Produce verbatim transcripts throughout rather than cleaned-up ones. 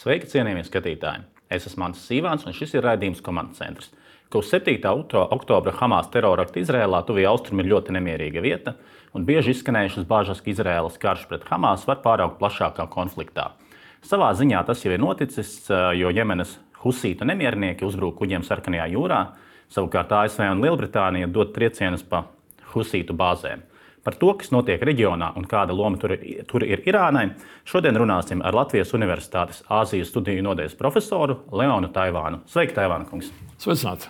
Sveiki, cienījamie skatītāji! Es esmu Mantis Sīvāns, un šis ir raidījums Komandas centrs. Kopš septītā oktobra Hamas terorakta Izrēlā tuvie austrumi ir ļoti nemierīga vieta, un bieži izskanējušas bāžas, ka Izraēlas karš pret Hamas var pāraugt plašākā konfliktā. Savā ziņā tas jau ir noticis, jo Jemenas husītu nemiernieki uzbrūk kuģiem Sarkanajā jūrā, savukārt A S V un Lielbritānija dod triecienus pa husītu bāzēm. Par to, kas notiek reģionā un kāda loma tur ir, tur ir Irānai, šodien runāsim ar Latvijas Universitātes Āzijas studiju nodaļas profesoru Leonu Taivānu. Sveiki, Taivāna kungs! Sveicināti!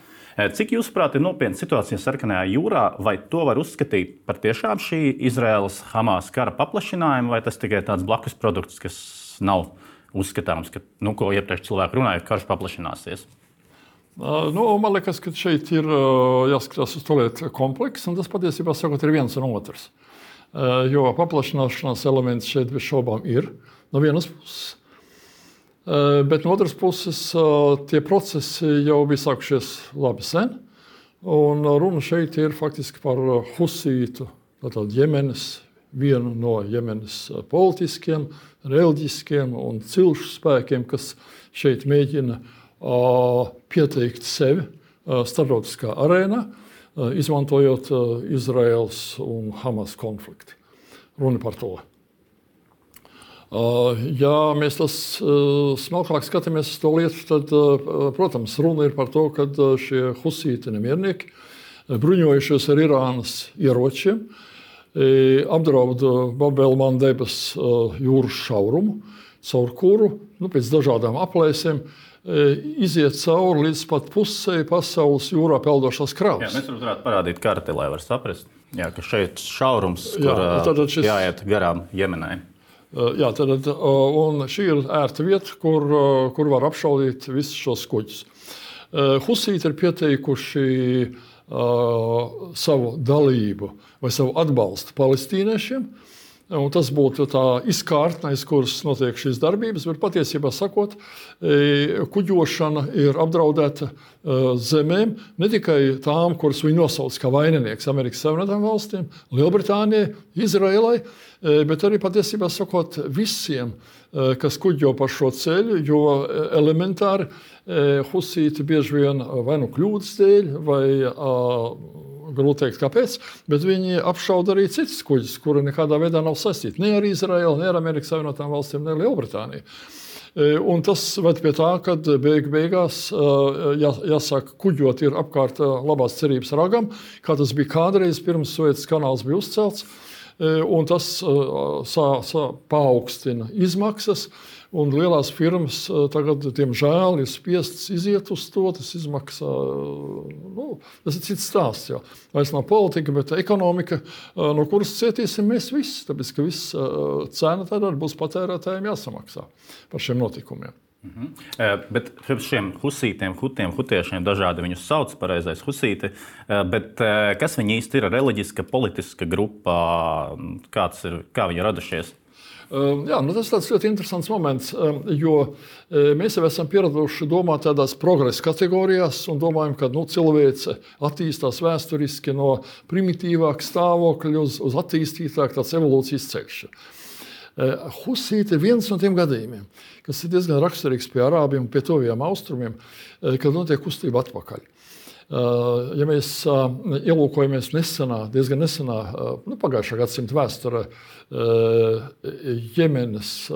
Cik jūsuprāt ir nopietna situācija Sarkanajā jūrā, vai to var uzskatīt par tiešām šī Izraēlas Hamas kara paplašinājumu, vai tas tikai tāds blakus produkts, kas nav uzskatāms, ka, nu, ko iepriekš cilvēki runāja, ka karš paplašināsies? Uh, nu, man liekas, ka šeit ir uh, jāskatās uz to lietu komplekss, un tas patiesībā sakot ir viens un otrs. Uh, jo paplašināšanās elements šeit bez šaubām ir no vienas puses, uh, bet no otras puses uh, tie procesi jau bija sākušies labi sen, un runa šeit ir faktiski par husītu, tātad Jemenas, vienu no Jemenas politiskiem, reliģiskiem un cilšu spēkiem, kas šeit mēģina pieteikt sevi starptautiskā arēnā, izmantojot Izraēlas un Hamas konfliktu. Runa par to. Ja mēs tas smalkāk skatāmies uz to lietu, tad, protams, runa ir par to, ka šie husīti nemiernieki, bruņojušies ar Irānas ieročiem, apdraud Bab-el-Mandebas jūras šaurumu, caur kuru, nu, pēc dažādām aplēsēm, iziet cauri līdz pat pusē pasaules jūrā peldošās kravas. Jā, mēs varētu parādīt karti, lai var saprast, jā, ka šeit šaurums, kur jā, šis... jāiet garām Jemenai. Jā, tad, un šī ir ērta vieta, kur, kur var apšaudīt visus šos kuģus. Husīti ir pieteikuši uh, savu dalību vai savu atbalstu palestīniešiem. Un tas būtu tā izkārtne, aiz kuras notiek šīs darbības, bet patiesībā sakot, kuģošana ir apdraudēta zemēm, ne tikai tām, kuras viņi nosauc kā vaininieks Amerikas Savienotām valstīm, Lielbritānijai, Izraēlai, bet arī patiesībā sakot visiem, kas kuģo pa šo ceļu, jo elementāri husīti bieži vien vai nu kļūdas dēļ, vai grūti teikt, kāpēc, bet viņi apšauda arī citas kuģis, kuri nekādā veidā nav saistīti ne ar Izraēlu, ne ar Amerikas Savienotām valstīm, ne ar Lielbritāniju. Un tas ved pie tā, ka beig beigās jā, jāsāk kuģot ir apkārt labās cerības ragam, kā tas bija kādreiz pirms Suecas kanāls bija uzcelts, un tas sā, sā, paaugstina izmaksas. Un lielās firmas tagad, diemžēl, ir spiestas iziet uz to. Tas izmaksā, nu, tas ir cits stāsts jau. Vairs nav politika, bet ekonomika, no kuras cietīsim mēs visi. Tāpēc, ka viss cena tad būs patērētājiem jāsamaksā par šiem notikumiem. Mhm. Bet šiem husītiem, hutiem, hutiešiem dažādi viņus sauc, pareizais husīti, bet kas viņi īsti ir? Reliģiska, politiska grupa, kāds ir, kā viņi radušies? Jā, nu tas ir tāds ļoti interesants moments, jo mēs jau esam pieraduši domāt tādās progresa kategorijās un domājam, ka nu, cilvēce attīstās vēsturiski no primitīvāka stāvokļa uz, uz attīstītāk tāds evolūcijas ceļš. Husīti ir viens no tiem gadījumiem, kas ir diezgan raksturīgs pie arābiem un pie tuvajiem austrumiem, kad notiek kustība atpakaļ. Ja mēs ielūkojamies nesenā, diezgan nesenā, nu, pagājušā gadsimta vēsturē, Jemenas,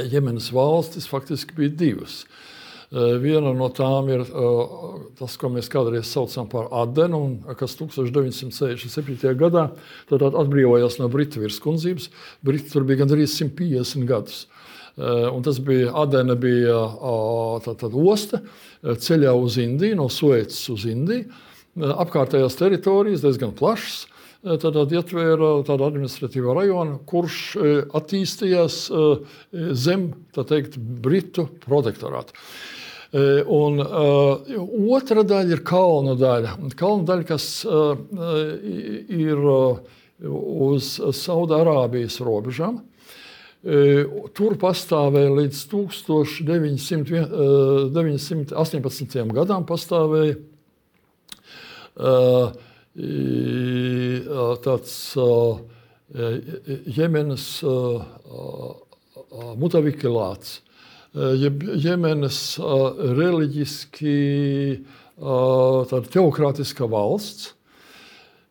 Jemenas valstis faktiski bija divas. Viena no tām ir tas, ko mēs kādreiz saucam par Adenu, kas tūkstoš deviņsimt sešdesmit septītajā gadā tad atbrīvojās no Britu virskundzības. Briti tur bija gandrīz simt piecdesmit gadus. Un tas bija, Adena bija tā, tā, osta ceļā uz Indiju, no Suecas uz Indiju. Apkārtējās teritorijas diezgan plašas, tad ietvēra tādu administratīvo rajonu, kurš attīstījās zem, tā teikt, Britu protektorātu. Un uh, otra daļa ir kalnu daļa. Kalnu daļa, kas uh, ir uh, uz Saudārābijas robežām. Tur pastāvēja līdz tūkstoš deviņsimt astoņpadsmitajam gadam pastāvēja tāds Jemenas mutavikilāts, jeb Jemenas reliģiski tāda teokrātiska valsts.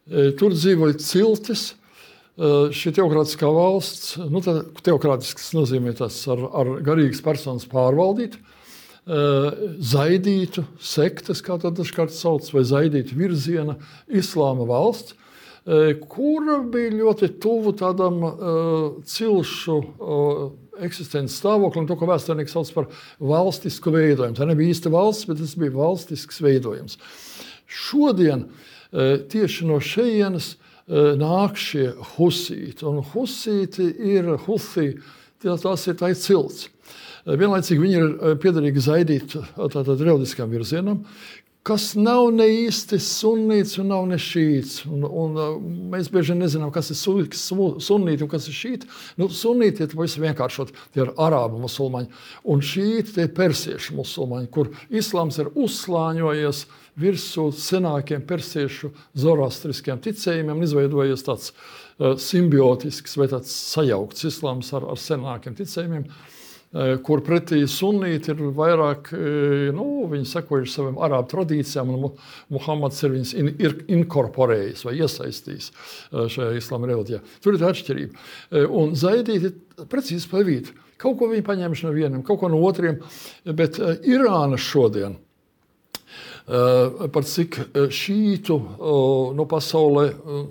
Tur dzīvoja ciltis. Šī teokrātiskā valsts, nu, teokrātisks nozīmē tas ar, ar garīgas personas pārvaldīt, zaidītu sektas, kā tā dažkārt sauc, vai zaidītu virziena islāma valsts, kura bija ļoti tuvu tādam cilšu eksistences stāvoklim, to, ko vēsturnieki sauc par valstisku veidojumu. Tā nebija īsta valsts, bet tas bija valstisks veidojums. Šodien tieši no šejienes nāk šie husīti, un husīti ir huthi, tās ir tā ir cilts. Vienlaicīgi viņi ir piederīgi zaidīt tātad reliģiskam virzienam, kas nav ne īsti sunnīts un nav ne šīts. Un, un mēs bieži nezinām, kas ir sunnīti un kas ir šīti. Nu, sunnīti ir pavisam vienkāršot, tie ir arābu musulmaņi, un šīti tie ir persiešu musulmaņi, kur islāms ir uzslāņojies virsū senākiem persiešu zoroastriskiem ticējumiem un izveidojies tāds uh, simbiotisks vai tāds sajaukts islāms ar, ar senākiem ticējumiem, uh, kur pretī sunnīti ir vairāk, uh, nu, viņi sekojuši saviem arābu tradīcijām, un Muhammads ir viņus in, ir inkorporējis vai iesaistījis uh, šajā islāma reliģijā. Tur ir tā atšķirība. Uh, un zaidīti precīzi pa vidu. Kaut ko viņi paņēmuši no vieniem, kaut ko no otriem, bet uh, Irāna šodien, par cik šītu no pasaulē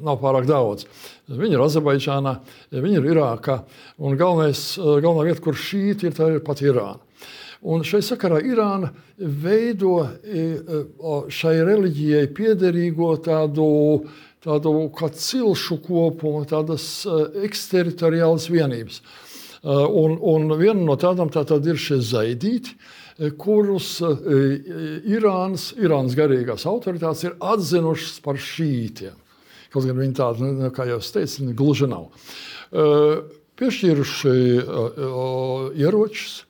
nav pārāk daudz. Viņi ir Azerbaidžānā, viņi ir Irākā, un galvenais, galvenā vieta, kur šīti ir, tā ir pat Irāna. Un šai sakarā Irāna veido šai reliģijai piederīgo tādu, tādu kā cilšu kopumu, tādas eksteritoriālas vienības. Un, un viena no tādām tātad ir šie zaidīti, kurus Irānas, Irānas garīgās autoritātes ir atzinušas par šītiem. Kaut gan viņi tādi, kā jau es teicu, gluži nav. Piešķīruši ieročus,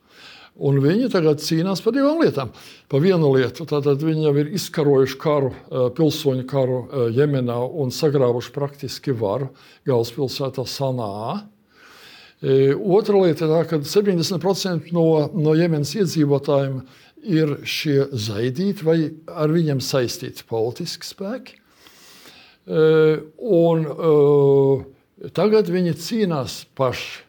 un viņi tagad cīnās par divām lietām. Pa vienu lietu, tātad viņi jau ir izkarojuši karu, pilsoņu karu Jemenā un sagrāvuši praktiski varu galvaspilsētā Sanā. Otra lieta ir tā, ka septiņdesmit procenti no, no Jemenas iedzīvotājiem ir šie zaidīti vai ar viņiem saistīti politiski spēki. Un tagad viņi cīnās paši.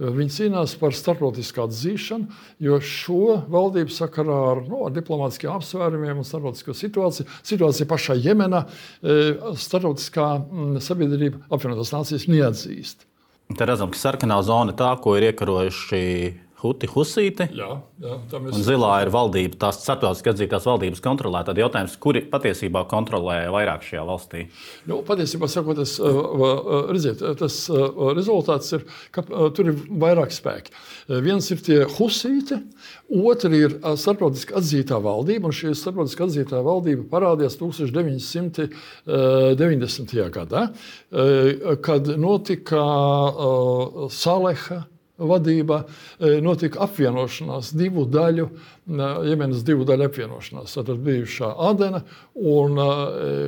Viņi cīnās par starptautisku atzīšanu, jo šo valdību sakarā ar, no, ar diplomātiskiem apsvērumiem un starptautisko situāciju, situācija pašā Jemenā, starptautiskā sabiedrība apvienotās nācijas neatzīst. Te redzam, ka sarkanā zona tā, ko ir iekarojuši huti husīti, jā, jā, un zilā ir valdība, tās starptautiski atzītās valdības kontrolē. Tad jautājums, kuri patiesībā kontrolē vairāk šajā valstī? Nu, patiesībā sakot, tas, redziet, tas rezultāts ir, ka tur ir vairāk spēki. Viens ir tie husīti, otri ir starptautiski atzītā valdība, un šī starptautiski atzītā valdība parādījās tūkstoš deviņi simti deviņdesmitajā gadā, kad notika Saleha vadībā, notika apvienošanās divu daļu, Jemenas divu daļu apvienošanās. Tātad bijušā Adena un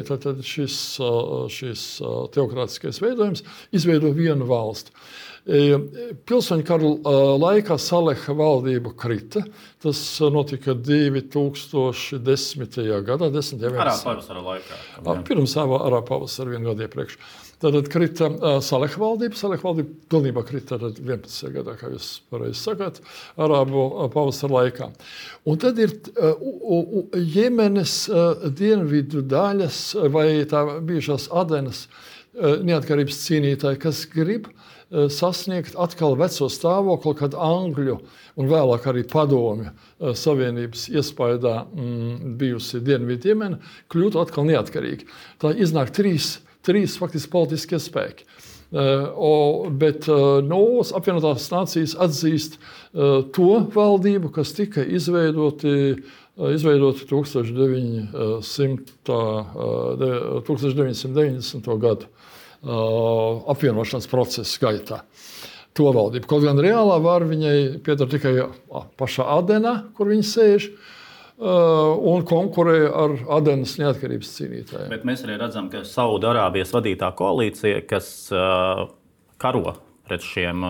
tātad šis, šis teokrātiskais veidojums izveido vienu valsti. Pilsoņu karu laikā Saleha valdība krita. Tas notika divi tūkstoši desmitajā gadā. Arābu pavasara laikā. Pirms arābu pavasara vienu gadu iepriekš. Tātad krita Saleha valdība. Saleha valdība pilnībā krita vienpadsmitajā gadā, kā jūs pareizi sakāt, arābu pavasara laikā. Un tad ir uh, Jemenas uh, dienvidu daļas vai tā bijušās Adenas uh, neatkarības cīnītāji, kas grib uh, sasniegt atkal veco stāvokli, kad Angļu un vēlāk arī Padomju uh, Savienības iespaidā mm, bijusi dienvidu Jemena kļūtu atkal neatkarīgi. Tā iznāk trīs Trīs faktiski politiskie spēki. Uh, o, bet uh, no apvienotās nācijas atzīst uh, to valdību, kas tika izveidoti, uh, izveidoti tūkstoš deviņi simti deviņdesmito gadu uh, apvienošanas procesa gaitā. To valdību. Kaut gan reālā vara viņai pieder tikai uh, pašā Adenā, kur viņi sēž, Uh, un konkurē ar Adenas neatkarības cīnītājiem. Bet mēs arī redzam, ka Saudarābijas vadītā koalīcija, kas uh, karo pret šiem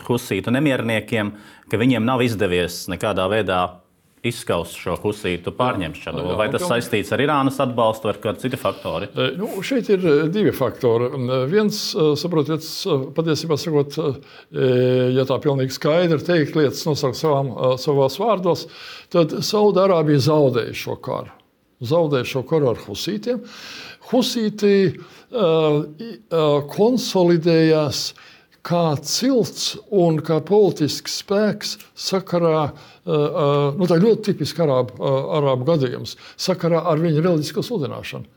husītu nemierniekiem, ka viņiem nav izdevies nekādā veidā izskaust šo husītu pārņemšanu? Jā, vai tas jā, saistīts ar Irānas atbalstu vai ar kādu citu faktoru? Nu, šeit ir divi faktori. Viens, saprotiet, patiesībā sakot, ja tā pilnīgi skaidri teikt lietas nosaukt savām, savās vārdos, tad Saudārābija zaudēja šo karu. Zaudēja šo karu ar husītiem. Husīti uh, uh, konsolidējās kā cilts un kā politisks spēks sakarā, uh, nu tā ļoti tipiski arābu, uh, arābu gadījums, sakarā ar viņu reliģisko sludināšanu.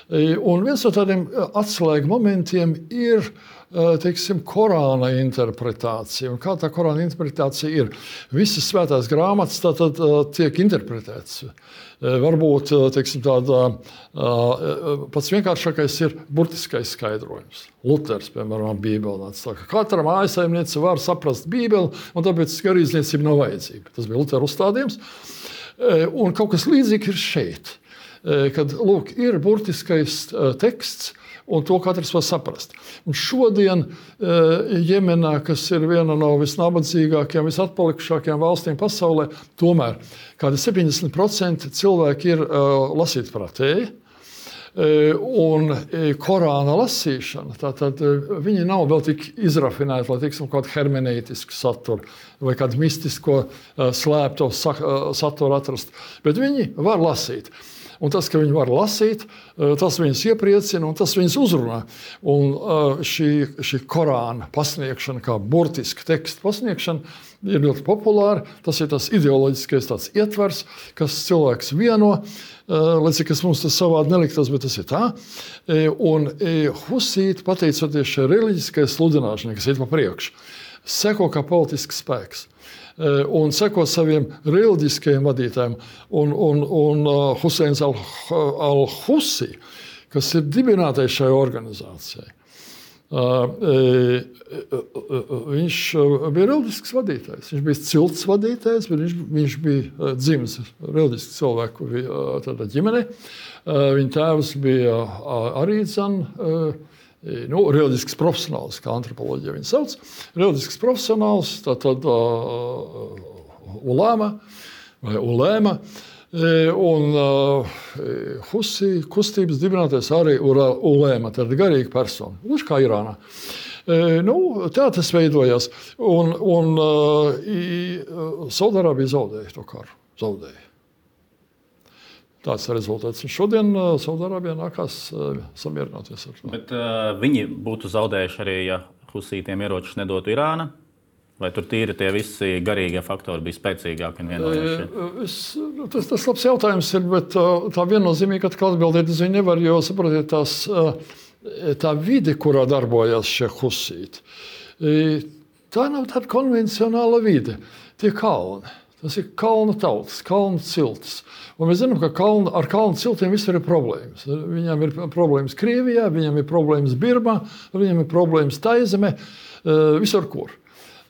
Un viens no tādiem atslēgu momentiem ir, teiksim, Korāna interpretācija. Un kā tā Korāna interpretācija ir? Visas svētās grāmatas tātad tiek interpretētas. Varbūt, teiksim, tāda pats vienkāršākais ir burtiskais skaidrojums. Luters, piemēram, Bībeli nāca. Katra mājasaimniece var saprast Bībeli, un tāpēc garīdzniecība nav vajadzīga. Tas bija Lutera uzstādījums. Un kaut kas līdzīgi ir šeit. Kad, lūk, ir burtiskais teksts, un to katrs var saprast. Un šodien Jemenā, kas ir viena no visnabadzīgākajām, visatpalikušākajām valstīm pasaulē, tomēr kādi septiņdesmit procenti cilvēki ir lasītprātēji. Un Korāna lasīšana, tātad viņi nav vēl tik izrafinēti, lai teiksim, kādu hermeneitisku saturu vai kādu mistisko slēpto saturu atrast, bet viņi var lasīt. Un tas, ka viņi var lasīt, tas viņus iepriecina un tas viņus uzrunā. Un šī, šī Korāna pasniegšana, kā burtiska teksta pasniegšana, ir ļoti populāra. Tas ir tas ideoloģiskais tāds ietvers, kas cilvēks vieno, lai cik kas mums tas savādi neliktos, bet tas ir tā. Un husīti, pateicoties šai reliģiskai sludināšanai, kas iet pa priekšu, seko kā politisks spēks. Un seko saviem reliģiskajiem vadītājiem. Un, un, un Huseins al-Husi, kas ir dibinātais šai organizācijai, viņš bija reliģisks vadītājs. Viņš bija cilts vadītājs, bet viņš, viņš bija dzimis reliģisks cilvēku ģimenei. Viņa tēvs bija arī dzan, nu, reliģisks profesionāls, kā antropoloģija viņu sauc. Reliģisks profesionāls, tātad uh, ulēma vai ulēma. Un uh, Husi kustības dibinātais arī ulēma, tad garīga persona. Līdz kā Irānā. E, nu, tā tas veidojās. Un, un uh, Saudārābija zaudēja to karu. Zaudēja. Tāds ir rezultāts. Un šodien uh, Saudārābijā nākās uh, samierināties ar to. Bet uh, viņi būtu zaudējuši arī, ja husītiem ieročus nedotu Irāna? Vai tur tīri tie visi garīgie faktori bija spēcīgāki un vienojoši? E, tas, tas labs jautājums ir, bet uh, tā viennozīmīgi atkal atbildēt uz viņu nevar, jo, saprotiet, tās, uh, tā vide, kurā darbojās šie husīti, e, tā nav tāda konvencionāla vide. Tie kalni. Tas ir kalnu tautas, kalnu ciltis. Un mēs zinām, ka kalnu, ar kalnu ciltiem visur ir problēmas. Viņiem ir problēmas Krievijā, viņiem ir problēmas Birmā, viņiem ir problēmas Taizemē, visur kur.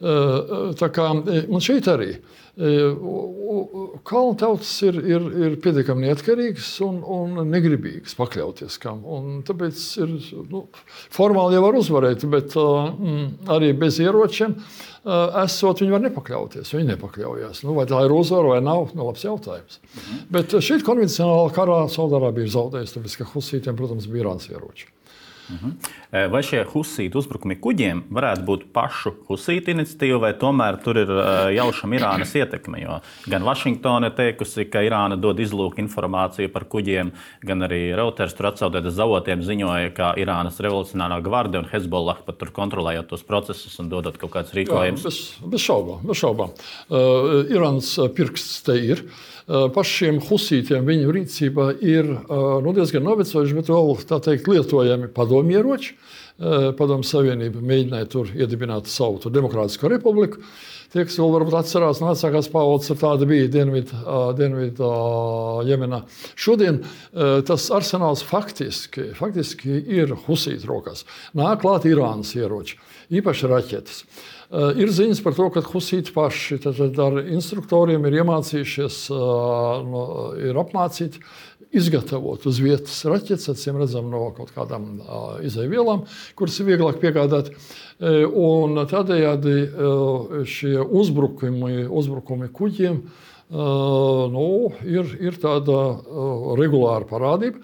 Tā kā, un šeit arī. Kalnu tautas ir, ir, ir pietiekami neatkarīgas un, un negribīgas pakļauties kam. Un tāpēc ir, nu, formāli jau var uzvarēt, bet mm, arī bez ieročiem esot, viņi var nepakļauties. Viņi nepakļaujās. Nu, vai tā ir uzvara vai nav, nu, labs jautājums. Mhm. Bet šeit konvencionāli karā Saudārābija ir zaudējusi, tāpēc, ka husītiem, protams, bija Irānas ieroči. Mhm. Vai šie husītu uzbrukumi kuģiem varētu būt pašu husītu iniciatīva, vai tomēr tur ir jaušama Irānas ietekme? Jo gan Vašingtona ir teikusi, ka Irāna dod izlūku informāciju par kuģiem, gan arī Reuters tur atsaucoties avotiem ziņoja, ka Irānas revolucionārā gvarde un Hezbollah pat tur kontrolējot tos procesus un dodot kaut kāds rīkojums. Jā, bez, bez šaubām. Bez šaubām. Uh, Irānas pirksts te ir. Uh, pašiem husītiem viņu rīcībā ir uh, nu, diezgan novecojuši, bet vēl tā teikt lietojami padomieroči. Uh, Padomju Savienība mēģināja tur iedibināt savu tur demokrātisko republiku. Tie, kas vēl varbūt atcerās no vecākās paaudzes, ar tāda bija Dienvidu, uh, Dienvidu uh, Jemenā. Šodien uh, tas arsenāls faktiski, faktiski ir husītu rokās. Nāk klāt Irānas ieroči, īpaši raķetes. Uh, ir ziņas par to, ka husīti paši tad, tad ar instruktoriem ir iemācījušies, uh, no, ir apmācīti izgatavot uz vietas raķetes, acīm redzam no kaut kādām uh, izaivielām, kuras ir vieglāk piegādāt. Uh, un tādējādi uh, šie uzbrukumi, uzbrukumi kuģiem uh, nu, ir, ir tāda uh, regulāra parādība.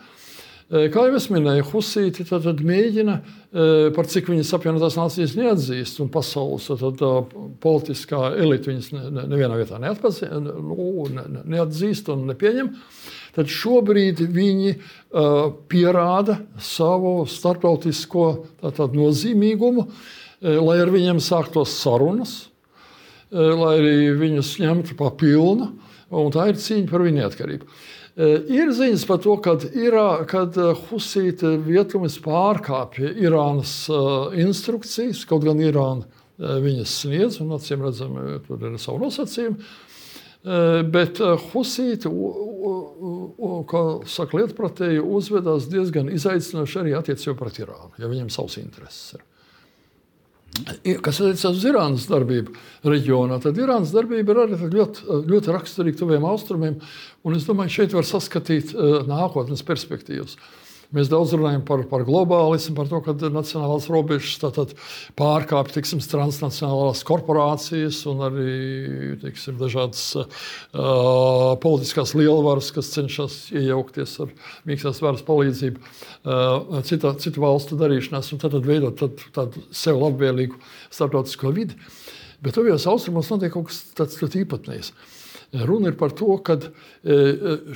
Uh, kā jau es minēju, husīti tad, tad mēģina, uh, par cik viņas apvienotās nācijas neatzīst, un pasaules tad, uh, politiskā elite viņas ne, ne, nevienā vietā neatpazī, nu, ne, neatzīst un nepieņem. Tad šobrīd viņi uh, pierāda savu starptautisko tātad, nozīmīgumu, uh, lai ar viņiem sāktos sarunas, uh, lai arī viņus ņemtu pa pilnu, un tā ir cīņa par viņu neatkarību. Uh, ir ziņas par to, kad, Irā, kad uh, husīti vietumis pārkāpja Irānas uh, instrukcijas, kaut gan Irāna uh, viņas sniedz, un acīm redzam, tur ir savu nosacījumu. Bet husīti, kā saka lietpratēji, uzvedās diezgan izaicinoši arī attiecībā pret Irānu, ja viņiem savs intereses ir. Kas attiecas uz Irānas darbību reģionā, tad Irānas darbība ir arī ļoti, ļoti raksturīga tuviem austrumiem, un es domāju, šeit var saskatīt nākotnes perspektīvas. Mēs daudz runājam par, par globālismu, par to, ka nacionālās robežas tātad pārkāpj tiksim, transnacionālās korporācijas un arī tiksim, dažādas uh, politiskās lielvaras, kas cenšas iejaukties ar mīkstās varas palīdzību uh, cita, citu valstu darīšanās un tad veidot tad, tādu sev labvēlīgu starptautisko vidi. Bet tuvajos austrumos notiek kaut kas tāds ļoti īpatnējs. Runa ir par to, ka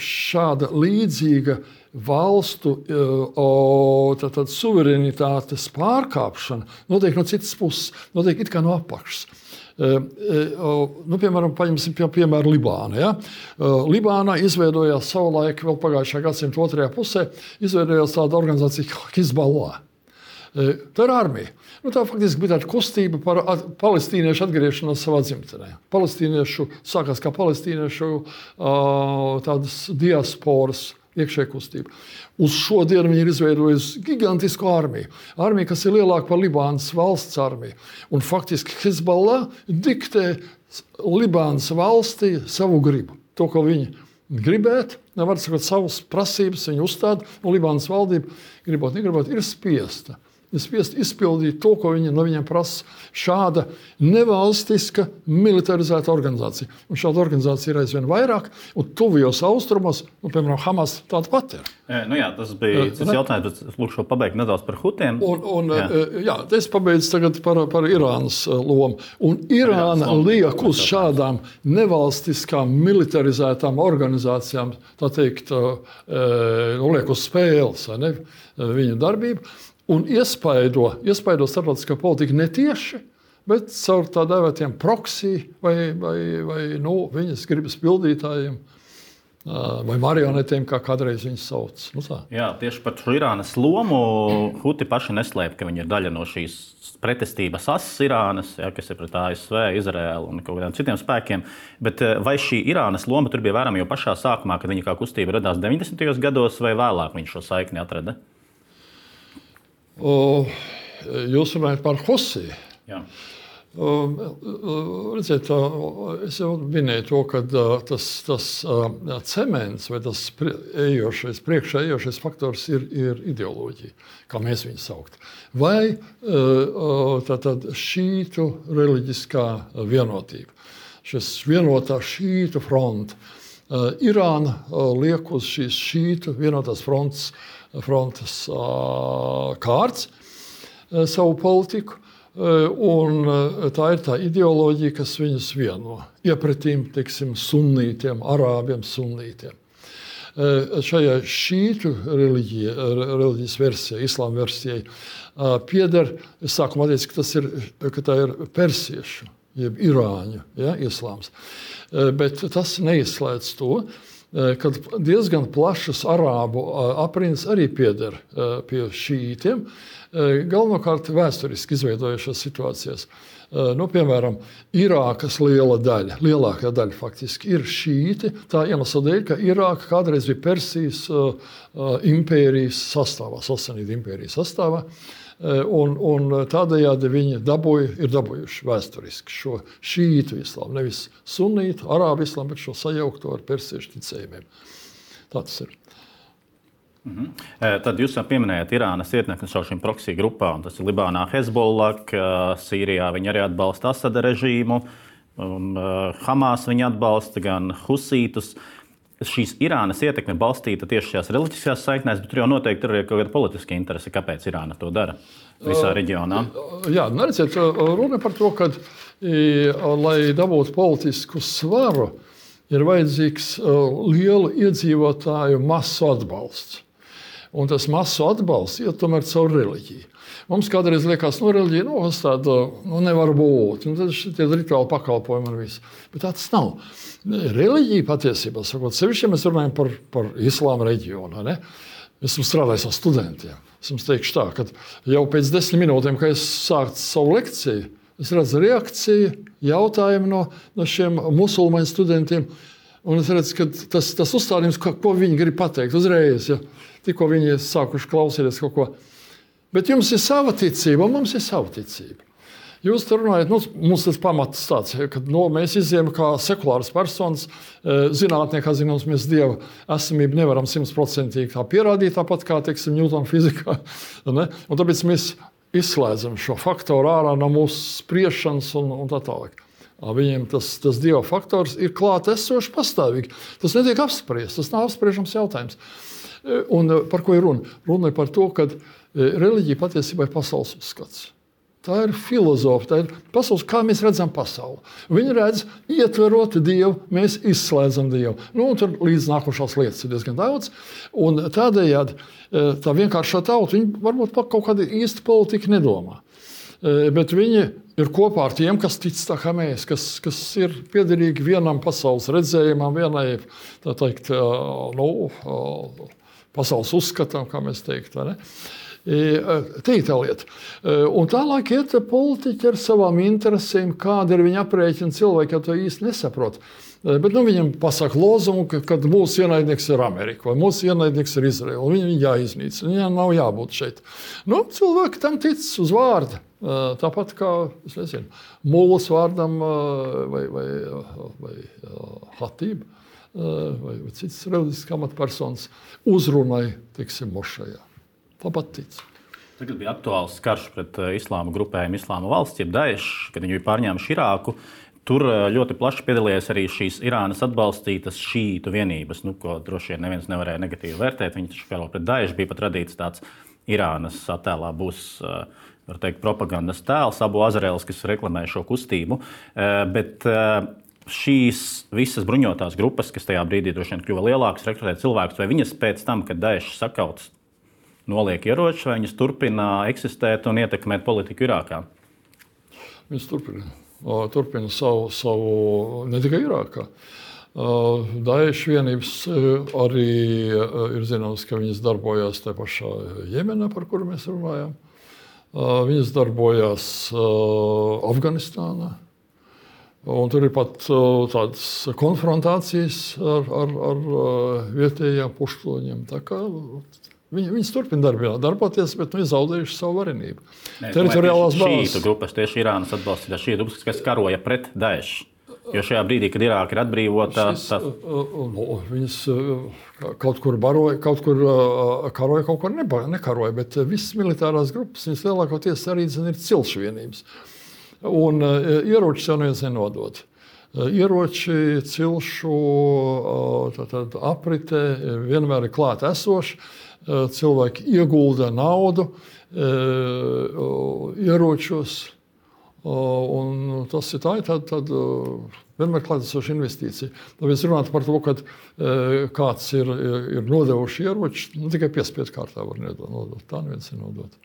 šāda līdzīga valstu tātad, suverenitātes pārkāpšana notiek no citas puses, notiek it kā no apakšas. Nu, piemēram, paņemsim pie, piemēru Libānu. Ja? Libānā izveidojās savulaik, vēl pagājušā gadsimta otrajā pusē, izveidojās tāda organizācija Hizballah. Tā ir armija. Nu, tā faktiski bija tāda kustība par palestīniešu atgriešanos savā dzimtenē. Palestīniešu, sākās kā palestīniešu tādas diasporas iekšēja kustība. Uz šodienu viņi ir izveidojusi gigantisku armiju. Armiju, kas ir lielāka par Libānas valsts armiju. Un faktiski Hizballah diktē Libānas valstī savu gribu. To, ko viņi gribētu, nevar sakot savas prasības, viņi uzstāda, un Libānas valdība, gribot, negribot, ir spiesta. Ir spiest izpildīt to, ko viņi no viņiem prasa. Šāda nevalstiska militarizēta organizācija. Un šāda organizācija ir aizvien vairāk, un tuvajos austrumos, nu, piemēram, Hamas tāda pat ir. E, nu jā, tas bija cits jautājums, bet lūkšu pabeigt nedaudz par hutiem. Un, un, jā. jā, es pabeidzu tagad par, par Irānas lomu. Un Irāna liek uz šādām nevalstiskām militarizētām organizācijām, tā teikt, nu, liek uz spēles, ne, viņu darbību. Un iespaido, iespaido starptautiskā politika netieši, bet caur tā dēvētiem proksī vai, vai, vai nu, viņas gribas pildītājiem vai marionetiem, kā kādreiz viņas sauc. Nu, tā. Jā, tieši par šo Irānas lomu Huti paši neslēp, ka viņi ir daļa no šīs pretestības asas Irānas, ja, kas ir pret A S V, Izraēlu un kaut kādiem citiem spēkiem. Bet vai šī Irānas loma tur bija vērama jau pašā sākumā, kad viņa kā kustība radās deviņdesmitajos gados, vai vēlāk viņi šo saikni atrada? O, jūs runājat par Husī. Jā. O, redziet, es jau minēju to, ka tas, tas cements vai tas ejošais, priekšā ejošais faktors ir, ir ideoloģija, kā mēs viņu saukt. Vai tātad šītu reliģiskā vienotība. Šis vienotā šītu fronta. Irāna liek uz šīs šītu vienotās frontes frontes kārts savu politiku, un tā ir tā ideoloģija, kas viņus vieno. Iepretīm, teiksim, sunnītiem, arābiem sunnītiem. Šajā šītu reliģija, reliģijas versijai, islāma versijai, pieder, es sākumā teicu, ka, tas ir, ka tā ir persiešu, jeb irāņu, ja, islāms. Bet tas neizslēdz to, kad diezgan plašas arābu aprindas arī pieder pie šītiem, galvenokārt vēsturiski izveidojušās situācijas. Nu, piemēram, Irākas liela daļa, lielākā daļa faktiski ir šīti, tā iemesla dēļ, ka Irāka kādreiz bija Persijas impērijas sastāvā, Sasanīdu impērijas sastāvā, un, un tādējādi viņi dabūja, ir dabūjuši vēsturiski šo šītu islāmu, nevis sunītu, arābu islāmu, bet šo sajaukto ar persiešu ticējumiem. Tā tas ir. Mhm. Tad jūs pieminējāt Irānas ietekmi caur šīm proksī grupām. Tas ir Libānā Hezbollah, Sīrijā viņi arī atbalsta Asada režīmu, un Hamas viņi atbalsta gan husītus. Šīs Irānas ietekme balstīta tieši šajās reliģiskajās saiknēs, bet tur jau noteikti ir kaut kāda politiska interese, kāpēc Irāna to dara visā reģionā. Jā, neredziet, runa par to, ka, lai dabūtu politisku svaru, ir vajadzīgs lielu iedzīvotāju masu atbalsts. Un tas masu atbalsts iet tomēr caur reliģiju. Mums kādreiz liekas, no reliģija no, tāda nu, nevar būt. Un tad šitie rituāli pakalpojumi un viss. Bet tā tas nav. Reliģija patiesībā, sakot, sevišķi mēs runājam par, par islāma reģionu. Ne? Esmu strādājis ar studentiem. Esmu teikšu tā, ka jau pēc desmit minūtēm, kad es sāktu savu lekciju, es redzu reakciju, jautājumu no, no šiem musulmaņu studentiem. Un es redzu, ka tas, tas uzstādījums, ko, ko viņi grib pateikt uzreiz, ja tikko viņi sākuši klausīties kaut ko. Bet jums ir sava ticība, un mums ir sava ticība. Jūs tur runājat, nu, mums tas pamats tāds, ka nu, mēs izjām kā sekulāras personas, zinātnieki, kā zināms, mēs Dieva esamību nevaram simtprocentīgi tā pierādīt, tāpat kā, teiksim, Ņūtona fizikā. Ne? Un tāpēc mēs izslēdzam šo faktoru ārā no mūsu spriešanas un, un tā tālāk. Viņiem tas, tas Dieva faktors ir klāt esošs pastāvīgi. Tas netiek apspriests, tas nav apspriežams jautājums. Un par ko ir runa? Runa ir par to, ka reliģija patiesībā ir pasaules uzskats. Tā ir filozofija, tā ir pasaules, kā mēs redzam pasauli. Viņi redz, ietverot Dievu, mēs izslēdzam Dievu. Nu, un tur līdz nākošās lietas ir diezgan daudz. Un tādējādi tā vienkāršā tauta, viņi varbūt par kaut kādu īstu politiku nedomā. Bet viņi ir kopā ar tiem, kas tic tā kā mēs, kas, kas ir piederīgi vienam pasaules redzējumam, vienai, tā teikt, nu, pasaules uzskatam, kā mēs teikt, vai ne? Te ir tā lieta. Un tālāk iet politiķi ar savām interesēm, kāda ir viņa aprēķina, cilvēki jau to īsti nesaprot. Bet nu, viņam pasaka lozungu, ka, ka mūsu ienaidnieks ir Amerika vai mūsu ienaidnieks ir Izraela. Viņam viņa jāiznīcina, viņam nav jābūt šeit. Nu, cilvēki tam tic uz vārdu. Tāpat kā, es nezinu, mūlas vārdam vai, vai, vai hatība vai, vai cits reliģisks amatpersonas uzrunai, teiksim, mošajā. Tāpat tic. Tagad bija aktuāls karš pret islāma grupējumu Islāma valsts, jeb Daesh, kad viņi bija pārņēmuši Irāku. Tur ļoti plaši piedalījās arī šīs Irānas atbalstītas šītu vienības, nu, ko droši vien neviens nevarēja negatīvi vērtēt. Viņi taču karo pret Daesh, bija pat radīts tāds Irānas attēlā būs, var teikt, propagandas tēls, Abu Azarēls, kas reklamē šo kustību. Bet šīs visas bruņotās grupas, kas tajā brīdī droši vien kļuva lielākas, rekrutēt cilvēkus, vai viņas pēc tam, kad Daesh sakauts, noliek ieroči, vai viņas turpina eksistēt un ietekmēt politiku Irākā? Viņas turpina. Turpina savu, savu ne tikai Irākā. Daesh vienības arī ir zināms, ka viņas darbojās tajā pašā Jemenā, par kuru mēs runājam. Viņas darbojās Afganistānā. Un tur ir pat tādas konfrontācijas ar, ar, ar vietējiem pušķoņiem. Tā kā Viņi, viņas turpina darbināt, darboties, bet nu, ir zaudējuši savu varenību. Teritoriālās bāzes. Šītu grupas, tieši Irānas atbalstītās šītu grupas, kas karoja pret Daesh. Jo šajā brīdī, kad Irāka ir atbrīvota, Šis, tas... nu, viņas kaut kur baroja, kaut kur karoja, kaut kur neba, nekaroja, bet visas militārās grupas, viņas lielākoties arī zin, ir cilšu vienības. Un ieroči jau neviens nenodod. Ieroči, cilšu tātad, aprite vienmēr ir klāt esoši. Cilvēki iegulda naudu ieročos, un tas ir tā, tad, tad vienmēr klātesoša investīcija. Tāpēc runāt par to, ka kāds ir, ir nodevuši ieroči, nu, tikai piespiedu kārtā var nodot. Tā neviens ir nodot.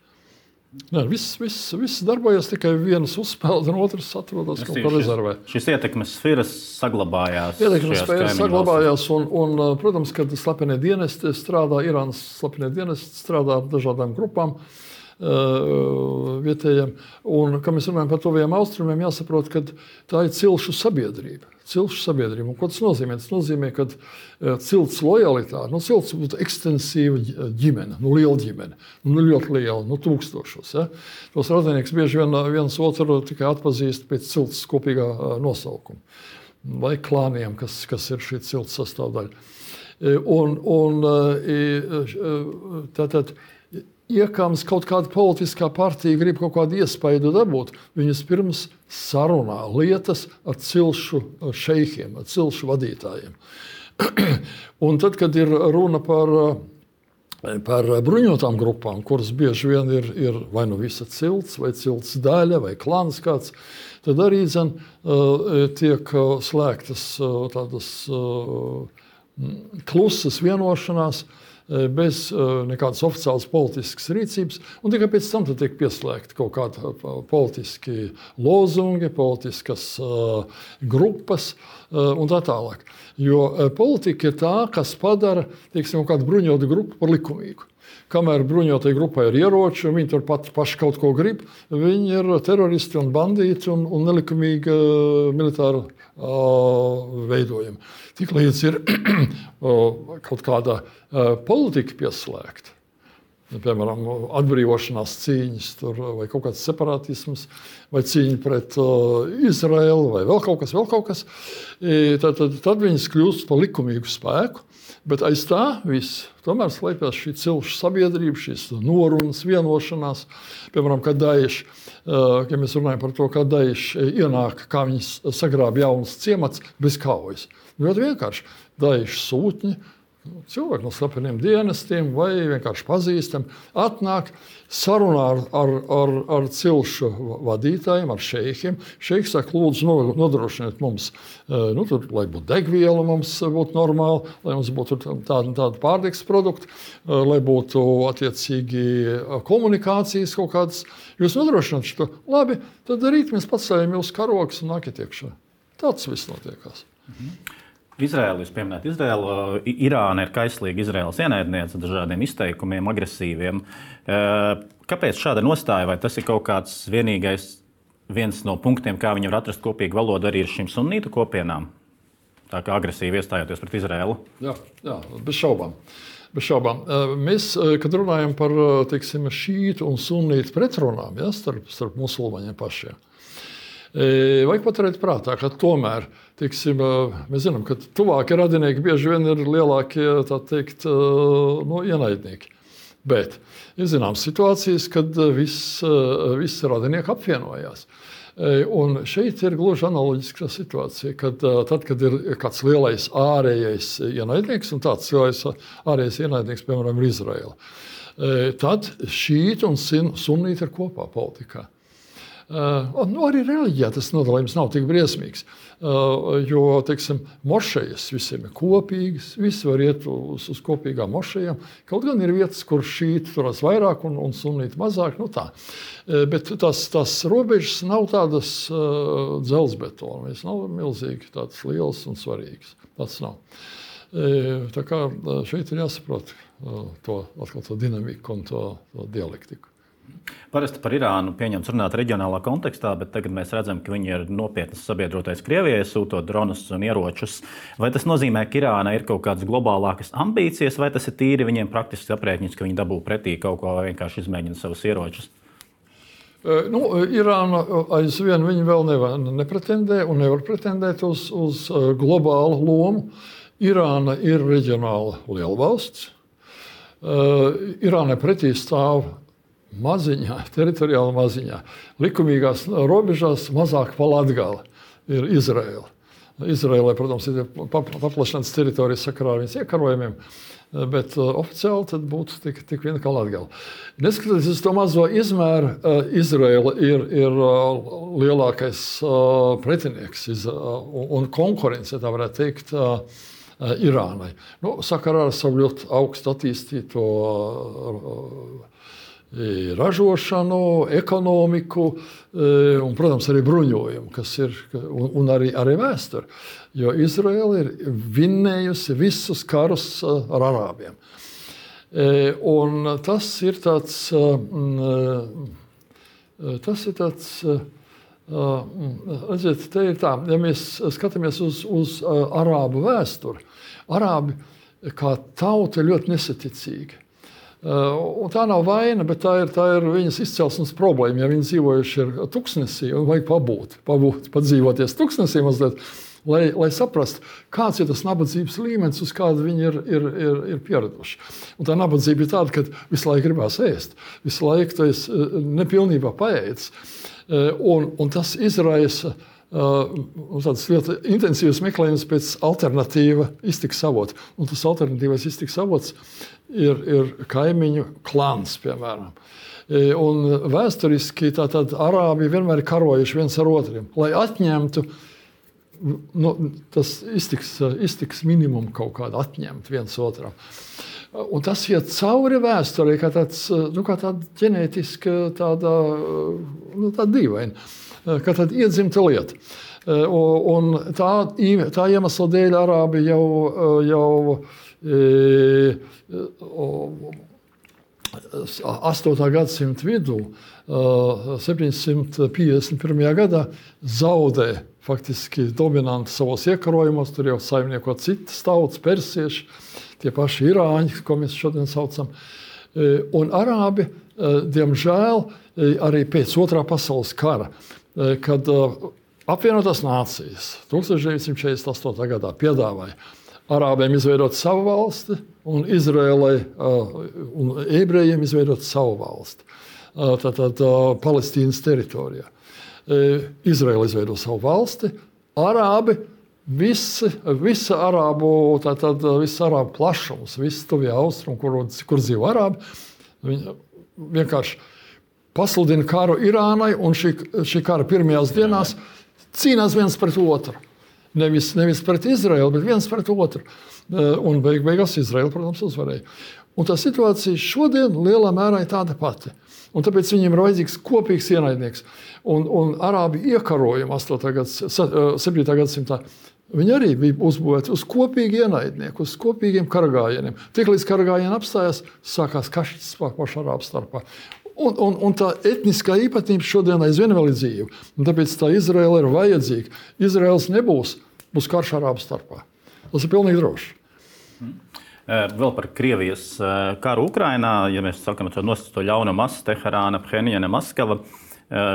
Nē, viss, viss, viss darbojas, tikai viens uzspēled, un otrs atrodas kaut kā rezervē. Šis ietekmes sfēras saglabājās. Ietekmes sfēras saglabājās, un, un, protams, kad slepenie dienesti strādā, Irānas slepenie dienesti strādā ar dažādām grupām uh, vietējiem. Un, kad mēs runājam par tuvajiem austrumiem, jāsaprot, ka tā ir cilšu sabiedrība. Cilšu sabiedrība. Un ko tas nozīmē? Tas nozīmē, ka uh, cilts lojalitāte, nu, cilts būtu ekstensīva ģimene, nu, liela ģimene, nu, ļoti liela, nu, tūkstošos. Ja? Tos radinieks bieži vien viens otru tikai atpazīst pēc cilts kopīgā uh, nosaukuma. Vai klāniem, kas, kas ir šī cilts sastāvdaļa. Un, un tātad, iekams kaut kāda politiskā partija grib kaut kādu iespaidu dabūt, viņas pirms sarunā lietas ar cilšu šeikiem, ar cilšu vadītājiem. Un tad, kad ir runa par, par bruņotām grupām, kuras bieži vien ir, ir vai nu visa cilts, vai cilts daļa, vai klans kāds, tad arī zin, tiek slēgtas tādas klusas vienošanās, bez nekādas oficiālas politiskas rīcības, un tikai pēc tam tiek pieslēgti kaut kādi politiski lozungi, politiskas uh, grupas uh, un tā tālāk. Jo uh, politika ir tā, kas padara, teiksim, kādu bruņotu grupu par likumīgu. Kamēr bruņotai grupai ir ieroči, un viņi tur pat paši kaut ko grib, viņi ir teroristi un bandīti un, un nelikumīgi uh, militāri uh, veidojumi. Tik līdz ir uh, kaut kāda uh, politika pieslēgta, piemēram, atbrīvošanās cīņas, tur, vai kaut kāds separatisms, vai cīņa pret uh, Izraelu, vai vēl kaut kas, vēl kaut kas, tad, tad, tad viņas kļūst par likumīgu spēku. Bet aiz tā viss tomēr slēpjas šī cilšu sabiedrība, šīs norunas, vienošanās. Piemēram, kad Daesh, ja mēs runājam par to, kā Daesh ienāk, kā viņi sagrāb jaunas ciemats bez kaujas. Ļoti vienkārši. Daesh sūtņi, cilvēki no slepeniem dienestiem vai vienkārši pazīstami, atnāk sarunā ar, ar, ar, ar cilšu vadītājiem, ar šeikiem. Šeiks saka, lūdzu, nodrošiniet mums, nu, tur, lai būtu degviela, mums būtu normāli, lai mums būtu tāda, tāda pārtikas produkti, lai būtu attiecīgi komunikācijas kaut kādas. Jūs nodrošināt šo, labi, tad rīt mēs pacējam jūs karogas un nākiet iekšā. Tāds viss notiekās. Mhm. Izraēlu, jūs pieminējat Izraēlu, Irāna ir kaislīga Izraēlas ienaidniece dažādiem izteikumiem, agresīviem. Kāpēc šāda nostāja? Vai tas ir kaut kāds vienīgais viens no punktiem, kā viņi var atrast kopīgu valodu arī ar šīm sunnītu kopienām? Tā kā agresīvi iestājoties pret Izraēlu? Jā, jā, bez šaubām. Bez šaubām. Mēs, kad runājam par, teiksim, šītu un sunnītu pretrunām, ja, starp, starp musulmaņiem pašiem, vajag paturēt prātā, ka tomēr, teiksim, mēs zinām, ka tuvākie radinieki bieži vien ir lielākie, tā teikt, no ienaidnieki. Bet ir zināmas situācijas, kad viss, viss radinieki apvienojās. Un šeit ir gluži analoģiska situācija, kad tad, kad ir kāds lielais ārējais ienaidnieks, un tāds lielais ārējais ienaidnieks, piemēram, ir Izraela, tad šīti un sunnīti ir kopā politikā. Uh, nu, arī reliģijā tas nodalījums nav tik briesmīgs, uh, jo, teiksim, mošejas visiem ir kopīgas, visi var iet uz, uz kopīgām mošejām. Kaut gan ir vietas, kur šīti turas vairāk un, un sunnīti mazāk, nu tā. Uh, bet tās, tās robežas nav tādas uh, dzelzbetona, viņas nav milzīgi tādas lielas un svarīgas. Tas nav. Uh, tā kā šeit ir jāsaprot uh, to, atkal to dinamiku un to, to dialektiku. Parasti par Irānu pieņemts runāt reģionālā kontekstā, bet tagad mēs redzam, ka viņi ir nopietnas sabiedrotais Krievijai, sūtot dronus un ieročus. Vai tas nozīmē, ka Irāna ir kaut kādas globālākas ambīcijas, vai tas ir tīri viņiem praktiski aprēķins, ka viņi dabū pretī kaut ko vai vienkārši izmēģina savus ieročus? Nu, Irāna aizvien viņi vēl nevar, nepretendē un nevar pretendēt uz, uz globālu lomu. Irāna ir reģionāla lielvalsts. Irānai pretī stāv maziņā, teritoriāli maziņā, likumīgās robežās mazāk pa Latgali ir Izraela. Izraēlai, protams, ir paplašināts teritorijas sakarā ar viņas iekarojumiem, bet uh, oficiāli tad būtu tik, tik viena kā Latgala. Neskatoties uz to mazo izmēru, uh, Izraela ir, ir uh, lielākais uh, pretinieks iz, uh, un konkurence, tā varētu teikt, uh, uh, Irānai. Nu, sakarā ar savu ļoti augstu attīstīto uh, ražošanu, ekonomiku un, protams, arī bruņojumu, kas ir, un, un arī, arī vēsturi. Jo Izraela ir vinnējusi visus karus ar arābiem. Un tas ir tāds, tas ir tāds, redziet, te ir tā, ja mēs skatāmies uz, uz arābu vēsturi, arābi kā tauta ļoti nesaticīgi. Uh, un tā nav vaina, bet tā ir, tā ir viņas izcelsmes problēma. Ja viņi dzīvojuši ir tuksnesī un vajag pabūt, pabūt, padzīvoties tuksnesī mazliet, lai, lai saprastu, kāds ir tas nabadzības līmenis, uz kādu viņi ir, ir, ir, ir pieraduši. Un tā nabadzība ir tāda, ka visu laiku gribās ēst, visu laiku tas nepilnībā paēdis. Un, un tas izraisa uh, tāds ļoti intensīvs meklējums pēc alternatīva iztikas avota. Un tas alternatīvais iztikas avots ir, ir kaimiņu klans, piemēram. Un vēsturiski tātad arābi vienmēr ir karojuši viens ar otriem, lai atņemtu nu, tas iztiks, iztiks minimumu kaut kādu atņemt viens otram. Un tas iet cauri vēsturē, kā tāds, nu, kā tāda ģenētiska, tāda, nu, tāda dīvaina, kā tāda iedzimta lieta. Un tā, tā iemesla dēļ arābi jau, jau astotā gadsimta vidū, septiņsimt piecdesmit pirmajā gadā, zaudē faktiski dominanti savos iekarojumos, tur jau saimnieko citas tautas, persieši, tie paši irāņi, ko mēs šodien saucam. Un arābi, diemžēl, arī pēc otrā pasaules kara, kad apvienotās nācijas tūkstoš deviņsimt četrdesmit astotā gadā piedāvāja arābiem izveidot savu valsti un Izrēlai un ebrejiem izveidot savu valsti. Tātad Palestīnas teritorijā. Izrēla izveido savu valsti, arābi, visi, visa arābu, tātad viss arābu plašums, viss tuvie austrumi, kur, kur dzīvo arābi, viņi vienkārši pasludina karu Irānai, un šī, šī kara pirmajās dienās cīnās viens pret otru. Nevis, nevis pret Izraelu, bet viens pret otru. Un beig, beigās Izraela, protams, uzvarēja. Un tā situācija šodien lielā mērā ir tāda pati. Un tāpēc viņiem ir vajadzīgs kopīgs ienaidnieks. Un, un arābi iekarojumi septītā gadsimtā, viņi arī bija uzbūvēti uz kopīgu ienaidnieku, uz kopīgiem karagājieniem. Tiklīdz karagājieni apstājās, sākās kašķis pašu arābu starpā. Un, un, un tā etniskā īpatnība šodien aizvien vēl ir dzīva. Un tāpēc tā Izraela ir vajadzīga. Izraels nebūs, būs karš arābu starpā. Tas ir pilnīgi droši. Hmm. Vēl par Krievijas karu Ukrainā, ja mēs sakam to nosacīto ļaunu masu, Teherāna, Phenjana, Maskava,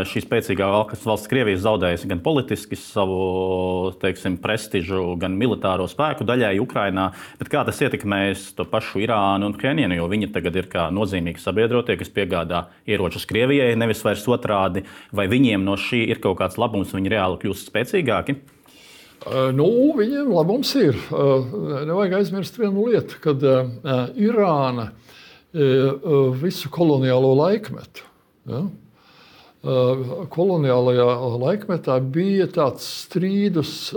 šī spēcīgā valsts Krievija zaudējusi gan politiski savu, teiksim, prestižu, gan militāro spēku daļēji Ukrainā, bet kā tas ietekmēs to pašu Irānu un Phenjanu, jo viņi tagad ir kā nozīmīgi sabiedrotie, kas piegādā ieročus Krievijai, nevis vairs otrādi, vai viņiem no šī ir kaut kāds labums, viņi reāli kļūst spēcīgāki? Nu, viņiem labums ir. Nevajag aizmirst vienu lietu, kad Irāna visu koloniālo laikmetu, ja, koloniālajā laikmetā bija tāds strīdus,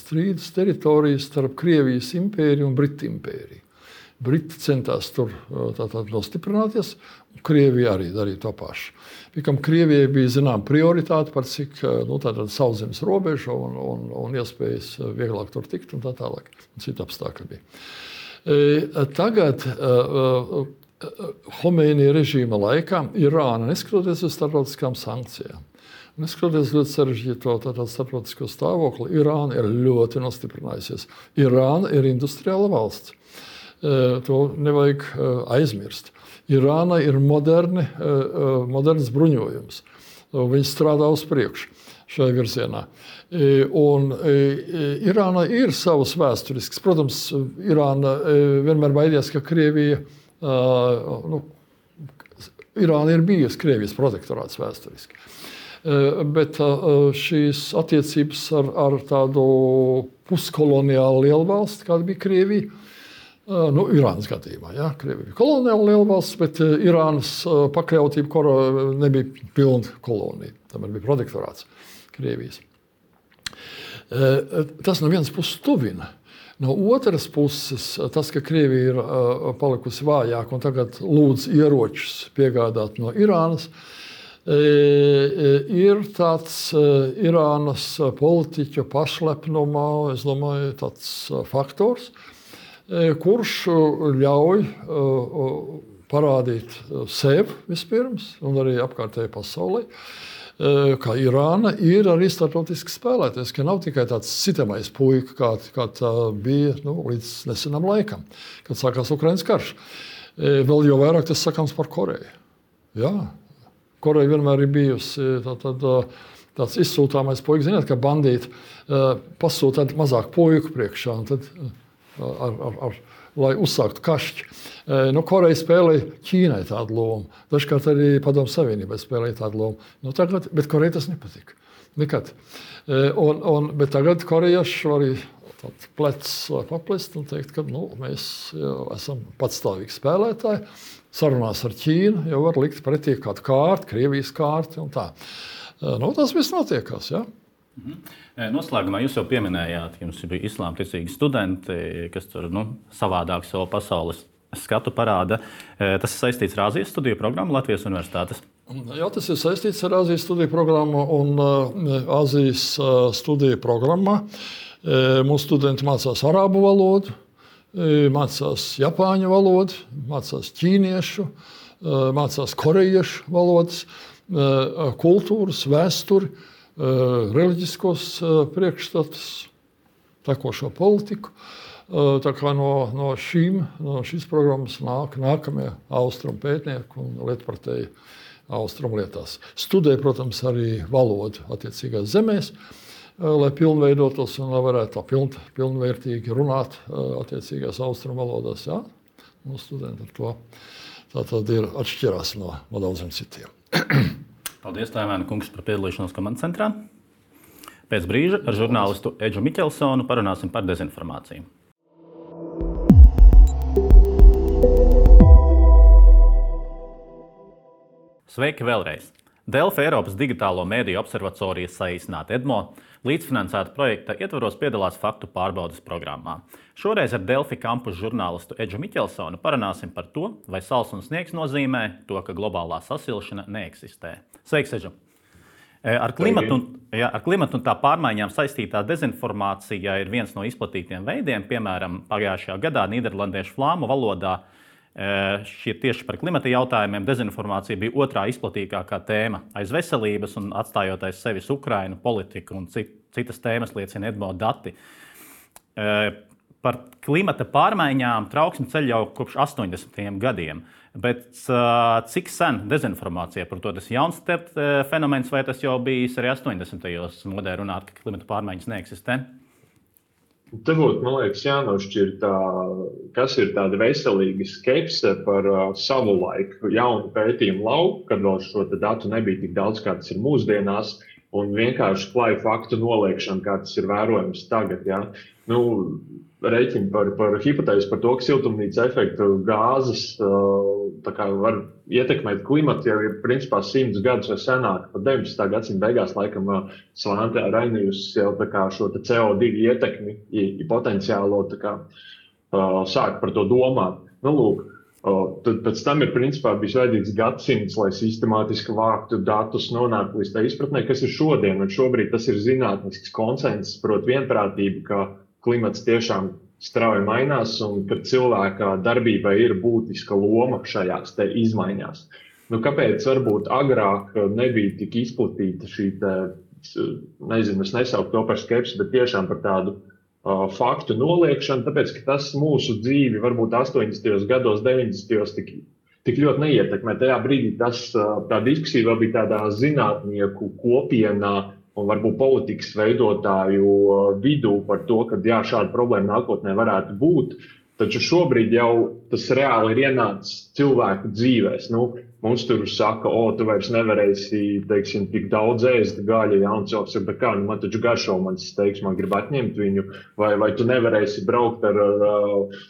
strīdus teritorijas starp Krievijas impēriju un Britu impēriju. Briti centās tur tātad nostiprināties, un Krievija arī darīja to pašu. Pikam Krievijai bija zinām prioritāte par cik nu, sauszemes robežu un, un, un iespējas vieglāk tur tikt un tā tālāk. Un citi apstākļi bija. E, tagad uh, Homeinija režīma laikā Irāna, neskatoties uz starptautiskām sankcijām, neskatoties ļoti sarežģīto starptautisko stāvokli, Irāna ir ļoti nostiprinājusies. Irāna ir industriāla valsts. E, to nevajag uh, aizmirst. Irāna ir moderni, moderns bruņojums. Viņi strādā uz priekšu šajā virzienā. Un Irāna ir savas vēsturisks. Protams, Irāna vienmēr baidījās, ka Krievija, nu, Irāna ir bijusi Krievijas protektorāts vēsturiski. Bet šīs attiecības ar, ar tādu puskoloniālu lielvalsti, kāda bija Krievija, nu, Irānas gadījumā, ja, Krievija bija koloniāla lielvalsts, bet Irānas pakļautība nebija pilna kolonija. Tomēr bija protektorāts Krievijas. Tas no vienas puses tuvina. No otras puses, tas, ka Krievija ir palikusi vājāk un tagad lūdz ieročus piegādāt no Irānas, ir tāds Irānas politiķu pašlepnumā, es domāju, tāds faktors, kurš ļauj parādīt sev vispirms un arī apkārtējai pasaulē, ka Irāna ir arī starptautiski spēlētājs, ka nav tikai tāds sitamais puika, kā, kā tā bija nu, līdz nesenam laikam, kad sākās Ukrainas karš. Vēl jau vairāk tas sakāms par Koreju. Jā, Koreja vienmēr ir bijusi tā, tad, tāds izsūtāmais puisis, zināt, ka bandīti uh, pasūta mazāk puiku priekšā, un tad, uh, ar, ar, ar, lai uzsāktu kašķi. Uh, nu, Koreja spēlēja Ķīnai tādu lomu. Dažkārt arī Padomju Savienībai spēlēja tādu lomu. Nu, tagad, bet Koreja tas nepatika. Nekad. Uh, un, un, bet tagad korejieši arī plecs vai paplest un teikt, ka nu, mēs jau esam patstāvīgi spēlētāji. Sarunās ar Ķīnu jau var likt pretī kādu kārtu, Krievijas kārtu un tā. Nu, tas viss notiekās. Ja? Mhm. Noslēgumā jūs jau pieminējāt, ka jums bija islāma ticīgi studenti, kas tur nu, savādāk savu pasaules skatu parāda. Tas ir saistīts ar Āzijas studiju programmu Latvijas universitātes. Jā, tas ir saistīts ar Āzijas studiju programmu un uh, Āzijas uh, studiju programmā. Uh, mūsu studenti mācās arābu valodu, uh, mācās japāņu valodu, mācās ķīniešu, uh, mācās korejiešu valodas. Kultūras, vēsturi, reliģiskos priekšstatus, tekošo politiku. Tā kā no, no, šīm, no šīs programmas nāk nākamie austrumu pētnieki un lietpratēji austrumu lietās. Studē, protams, arī valodu attiecīgās zemēs, lai pilnveidotos un lai varētu tā piln, pilnvērtīgi runāt attiecīgās austrumu valodās. Jā? Mūsu studenti ar to tā tad ir atšķirās no, no daudziem citiem. Paldies, Taivāna kungs, par piedalīšanos komandas centrā. Pēc brīža ar žurnālistu Edžu Miķelsonu parunāsim par dezinformāciju. Sveiki vēlreiz! Delfi Eiropas digitālo mēdīju observatorijas saīsināta EDMO līdzfinansēta projekta ietvaros piedalās faktu pārbaudes programmā. Šoreiz ar Delfi kampus žurnālistu Edžu Miķelsonu parunāsim par to, vai sals un sniegs nozīmē to, ka globālā sasilšana neeksistē. Sveiks, Edžu! Ar klimatu, un, jā, ar klimatu un tā pārmaiņām saistītā dezinformācija ir viens no izplatītiem veidiem. Piemēram, pagājušajā gadā nīderlandiešu flāmu valodā šie tieši par klimata jautājumiem dezinformācija bija otrā izplatītākā tēma aiz veselības un atstājot aiz sevis Ukrainu, politiku un citas tēmas liecina EDMO dati. Par klimata pārmaiņām trauksmi ceļ jau kopš astoņdesmitajiem gadiem, bet cik sen dezinformācija par to tas jauns fenomens vai tas jau bijis arī astoņdesmitajos modē runāt, ka klimata pārmaiņas neeksistē? Te būtu, man liekas, jānošķir tā, kas ir tāda veselīga skepse par uh, savu laiku jaunu pētījumu lauku, kad vēl šo datu nebija tik daudz, kā tas ir mūsdienās, un vienkārši klaju faktu noliekšana, kā tas ir vērojams tagad. Ja? Nu, Rēķini par, par hipotēzi par to, ka siltumnīca efekta gāzes uh, tā kā var ietekmēt klimatu, jau ir principā simts gadus vai senāk, pat deviņdesmitā gadsimta beigās laikam uh, Svante Rainijus jau tā kā šo C O divi ietekmi i, i potenciālo tā kā uh, sāk par to domāt. Nu, lūk, uh, tad pēc tam ir principā bijis vajadzīgs gadsimts, lai sistemātiski vāktu datus, nonāktu līdz tā izpratnē, kas ir šodien, un šobrīd tas ir zinātnisks konsensus, proti vienprātība, ka klimats tiešām strauji mainās un ka cilvēka darbībai ir būtiska loma šajās te izmaiņās. Nu, kāpēc varbūt agrāk nebija tik izplatīta šī te, nezinu, es nesauktu to par skepsi, bet tiešām par tādu uh, faktu noliekšanu, tāpēc, ka tas mūsu dzīvi varbūt astoņdesmitajos gados, deviņdesmitajos tik, tik ļoti neietekmē. Tajā brīdī tas, uh, tā diskusija vēl bija tādā zinātnieku kopienā, un varbūt politikas veidotāju vidū par to, ka jā, šāda problēma nākotnē varētu būt. Taču šobrīd jau tas reāli ir ienācis cilvēku dzīvēs. Nu, mums tur saka, o, tu vairs nevarēsi, teiksim, tik daudz ēst gaļa, ja, un cilvēks ir, bet kā, nu, man taču garšo mans steiks, man grib atņemt viņu, vai, vai tu nevarēsi braukt ar, ar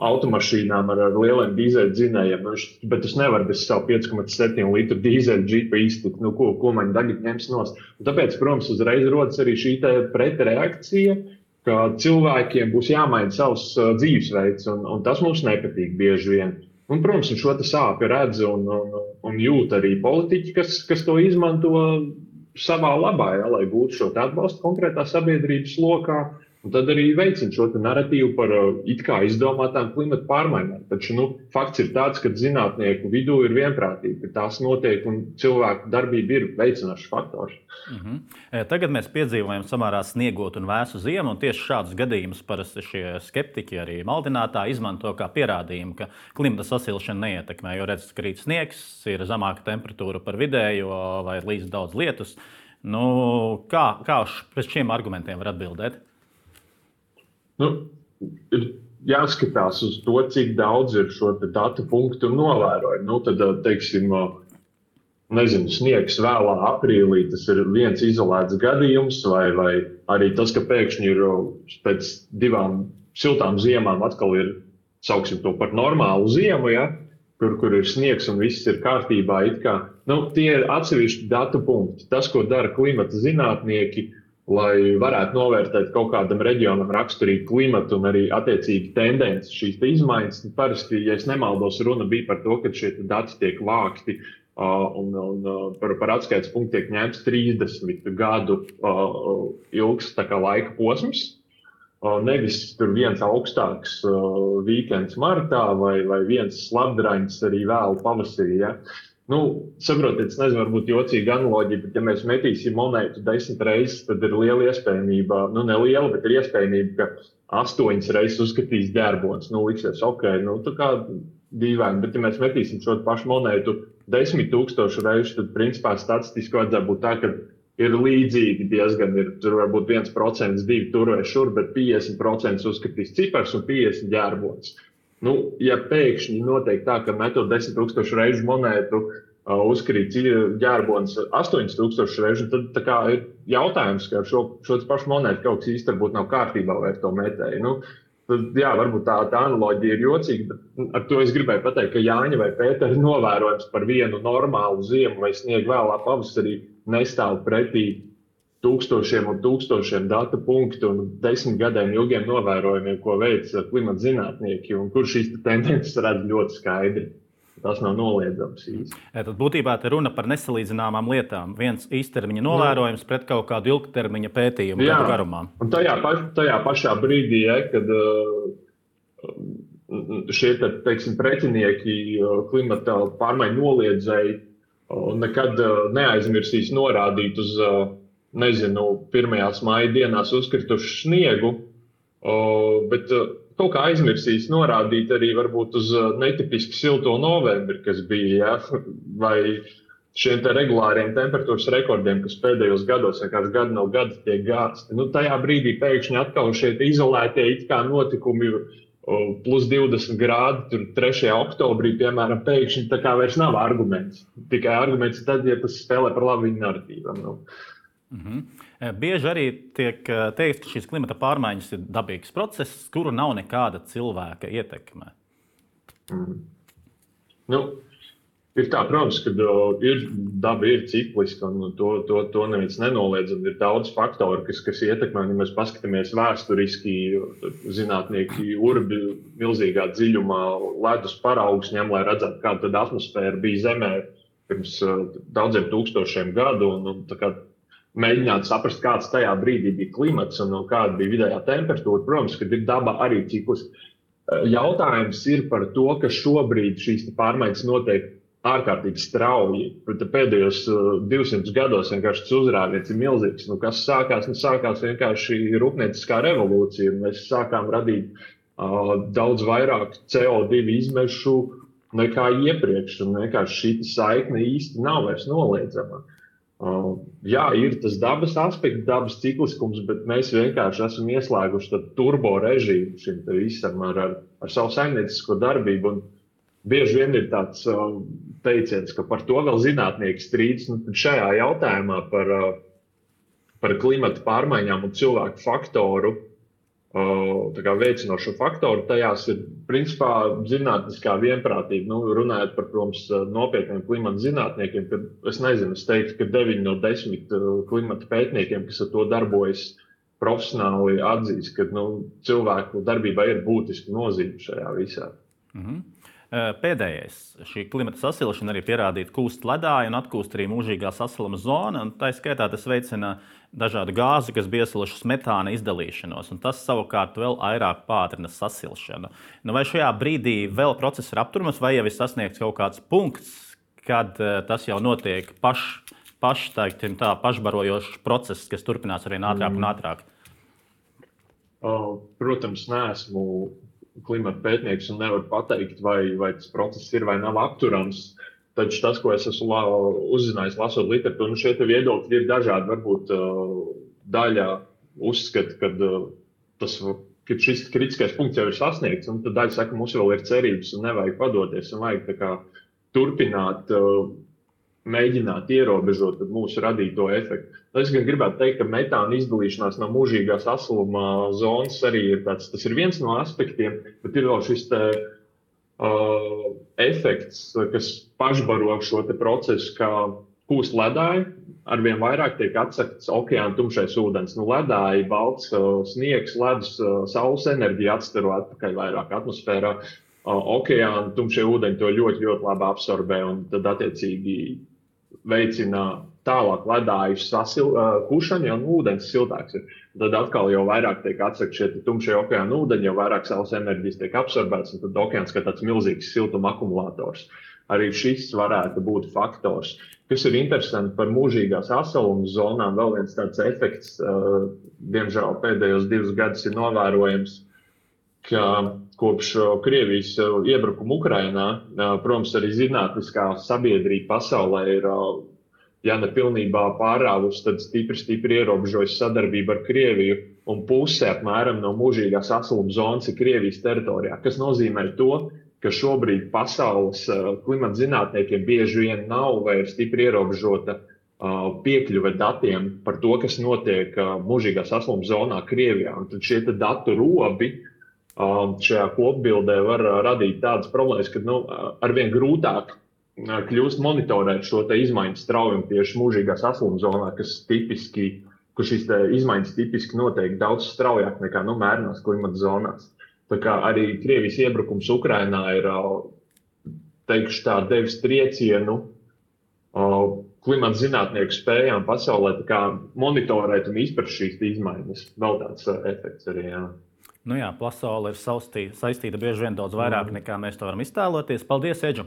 automašīnām ar, ar lieliem dīzeļu dzinējiem, nu, bet es nevaru bez savu pieci komats septiņi litru dīzeļu džipa iztikt, nu, ko, ko man tagad ņems nost. Un tāpēc, protams, uzreiz rodas arī šī pretreakcija, ka cilvēkiem būs jāmaina savs uh, dzīvesveids, un, un tas mums nepatīk bieži vien. Un, protams, un šo te sāpi redz un, un, un jūt arī politiķi, kas, kas to izmanto savā labā, ja, lai gūtu šo atbalstu konkrētā sabiedrības lokā. Un tad arī veicina šo narratīvu par uh, it kā izdomātām klimata pārmaiņām. Taču nu, fakts ir tāds, ka zinātnieku vidū ir vienprātība, ka tās notiek un cilvēku darbība ir veicinošs faktors. Uh-huh. Tagad mēs piedzīvojam samērā sniegotu un vēsu ziemu, un tieši šādus gadījumus parasti šie skeptiķi arī maldinātāji izmanto kā pierādījumu, ka klimata sasilšana neietekmē, jo redz, ka krīt sniegs, ir zemāka temperatūra par vidējo vai līdz daudz lietus. Nu, kā, kā pēc šiem argumentiem var atbildēt? Nu, ir jāskatās uz to, cik daudz ir šo datu punktu un novērojumu. Nu, tad, teiksim, nezinu, sniegs vēlā aprīlī, tas ir viens izolēts gadījums, vai, vai arī tas, ka pēkšņi ir pēc divām siltām ziemām atkal ir, sauksim to par normālu ziemu, ja? kur, kur ir sniegs un viss ir kārtībā. It kā, nu, tie ir atsevišķi datu punkti. Tas, ko dara klimata zinātnieki, lai varētu novērtēt kaut kādam reģionam raksturīgu klimatu un arī attiecīgi tendences šīs izmaiņas. Parasti, ja es nemaldos, runa bija par to, ka šie dati tiek vākti uh, un, un uh, par, par atskaites punktu tiek ņemts trīsdesmit gadu uh, ilgs tā kā laika posms. Uh, nevis tur viens augstāks uh, weekends martā vai, vai viens slabdrains arī vēl pavasarī. Ja? Nu, saprotiet, es nezinu, varbūt jocīga analoģija, bet ja mēs metīsim monētu desmit reizes, tad ir liela iespējamība, nu ne liela, bet ir iespējamība, ka astoņas reizes uzskatīs ģerbons. Nu, liksies, ok, nu tā kā dīvaini, bet ja mēs metīsim šo pašu monētu desmit tūkstošu reižu, tad principā statistiski vajadzētu būt tā, ka ir līdzīgi diezgan, ir tur varbūt viens procents, divi tur vai šur, bet piecdesmit procenti uzskatīs cipars un piecdesmit ģerbons. Nu, ja pēkšņi notiek tā, ka metot desmit tūkstošu reižu monētu uh, uzkrīt ģerbons astoņas tūkstošu reižu, tad tā kā ir jautājums, ka šo, šo pašu monētu kaut kas īsti varbūt nav kārtībā vai ar to metēju. Nu, tad, jā, varbūt tā, tā analoģija ir jocīga, bet ar to es gribēju pateikt, ka Jāņa vai Pētera novērojums par vienu normālu ziemu vai sniegu vēlā pavasarī nestāv pretī tūkstošiem un tūkstošiem datu punktu un desmit gadiem ilgiem novērojumiem, ko veic klimata zinātnieki, un kur šīs tendences redz ļoti skaidri. Tas nav noliedzams īsti. Tad būtībā te runa par nesalīdzināmām lietām. Viens īstermiņa novērojums pret kaut kādu ilgtermiņa pētījumu gadu garumā. Un tajā, paš, tajā pašā brīdī, ja, kad šie, teiksim, pretinieki klimata pārmaiņu noliedzēji nekad neaizmirsīs norādīt uz, nezinu, pirmajās māja dienās uzkritušu sniegu, bet kaut kā aizmirsīs norādīt arī varbūt uz netipiski silto novembri, kas bija, ja? Vai šiem te regulāriem temperatūras rekordiem, kas pēdējos gados vienkārši gadu no gada tiek gāsti. Nu, tajā brīdī pēkšņi atkal šie izolētie it kā notikumi plus divdesmit grādi, tur trešajā oktobrī, piemēram, pēkšņi tā kā vairs nav arguments. Tikai arguments tad, ja tas spēlē par labu viņu narratīvam. Nu. Mm-hmm. Bieži arī tiek teikt, ka šīs klimata pārmaiņas ir dabīgs process, kuru nav nekāda cilvēka ietekme. Mm. Nu, ir tā, protams, ka ir, daba ir cikliska, un to, to, to neviens nenoliedz. Ir daudz faktoru, kas, kas ietekmē. Ja mēs paskatāmies vēsturiski, zinātnieki urbi milzīgā dziļumā ledus paraugus ņem, lai redzētu, kāda tad atmosfēra bija Zemē pirms daudziem tūkstošiem gadu. Un, un, tā kā mēģināt saprast, kāds tajā brīdī bija klimats un kāda bija vidējā temperatūra. Protams, ka ir daba arī cikliska. Jautājums ir par to, ka šobrīd šīs pārmaiņas notiek ārkārtīgi strauji. Pēdējos divsimtus gados vienkārši tas uzrāviens ir milzīgs. Nu, kas sākās? Nu, sākās vienkārši rūpnieciskā revolūcija. Mēs sākām radīt uh, daudz vairāk C O divi izmešu nekā iepriekš. Un vienkārši šī saikne īsti nav vairs noliedzama. Uh, jā, ir tas dabas aspekts, dabas cikliskums, bet mēs vienkārši esam ieslēguši turbo režīmu šim te visam ar, ar, ar savu saimniecisko darbību. Un bieži vien ir tāds uh, teiciens, ka par to vēl zinātnieki strīdas. Nu, šajā jautājumā par, uh, par klimata pārmaiņām un cilvēku faktoru, uh, tā kā veicinošo faktoru, tajās ir principā zinātniskā vienprātība. Nu, runājot par, protams, nopietniem klimata zinātniekiem, kad es nezinu, es teiktu, ka deviņi no desmit klimata pētniekiem, kas ar to darbojas profesionāli, atzīst, ka nu, cilvēku darbībā ir būtiska nozīme šajā visā. Mm-hmm. Pēdējais, šī klimata sasilšana arī pierādīta kūst ledāja un atkūst arī mūžīgā sasiluma zona. Tā skaitā tas veicina dažādu gāzi, kas bija iesilušas metāna izdalīšanos. Un tas savukārt vēl vairāk pātrina sasilšanu. Nu, vai šajā brīdī vēl process ir apturams, vai jau ir sasniegts kaut kāds punkts, kad tas jau notiek paš, paš, tā, tā, pašbarojošs process, kas turpinās arī ātrāk un ātrāk? Protams, neesmu klimata pētnieks un nevar pateikt, vai, vai tas process ir vai nav apturams. taču tas, ko es esmu la, uzzinājis, lasot literatūru, nu šie viedokļi ir dažādi. Varbūt uh, daļa uzskata, ka uh, tas ka šis kritiskais punkts jau ir sasniegts, un tad daļa saka, mums vēl ir cerības un nevajag padoties, un vajag tā kā turpināt, uh, mēģināt ierobežot mūsu radīto efektu. Es gan gribētu teikt, ka metāna izdalīšanās no mūžīgās asluma zonas arī ir tāds, tas ir viens no aspektiem, bet ir vēl šis te, uh, efekts, kas pašbaro šo te procesu, kā kūst ledāji, arvien vairāk tiek atsekts okeāna tumšais ūdens. Nu, ledāji, balts uh, sniegs, ledus, uh, saules enerģija atstaro atpakaļ vairāk atmosfērā. Uh, okeāna tumšie ūdeņi to ļoti, ļoti labi absorbē un tad attiecīgi veicina tālāk ledāju sasil, uh, kušanu, ja ūdens siltāks ir. Tad atkal jau vairāk tiek atsakt šie tumšie okeāna ūdeņi, jau vairāk saules enerģijas tiek absorbēts, un tad okeāns kā tāds milzīgs siltuma akumulators. Arī šis varētu būt faktors. Kas ir interesanti par mūžīgās asaluma zonām, vēl viens tāds efekts, uh, diemžēl pēdējos divus gadus ir novērojams, ka kopš Krievijas iebrukuma Ukrainā, protams, arī zinātniskā sabiedrība pasaulē ir, ja ne pilnībā pārāvusi, tad stipri, stipri ierobežojusi sadarbību ar Krieviju, un puse apmēram no mūžīgās asaluma zonas ir Krievijas teritorijā, kas nozīmē to, ka šobrīd pasaules klimata zinātniekiem bieži vien nav vairs stipri ierobežota piekļuve datiem par to, kas notiek mūžīgās asaluma zonā Krievijā. Un tad šie datu robi šajā kopbildē var radīt tādas problēmas, ka nu, arvien grūtāk kļūst monitorēt šo te izmaiņu straujumu tieši mūžīgās asluma zonā, kas tipiski, kur šīs te izmaiņas tipiski notiek daudz straujāk nekā nu, mērenās klimata zonās. Tā kā arī Krievijas iebrukums Ukrainā ir, teikšu tā, devis triecienu klimata zinātnieku spējām pasaulē tā kā monitorēt un izprast šīs izmaiņas. Vēl tāds efekts arī, jā. Nu jā, pasaule ir saustī, saistīta bieži vien daudz vairāk, mm. nekā mēs to varam iztēloties. Paldies, Edžu!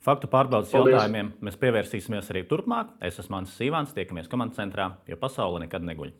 Faktu pārbaudas jautājumiem mēs pievērsīsimies arī turpmāk. Es esmu Mans Sīvāns, tiekamies komandas centrā, jo pasaule nekad neguļ.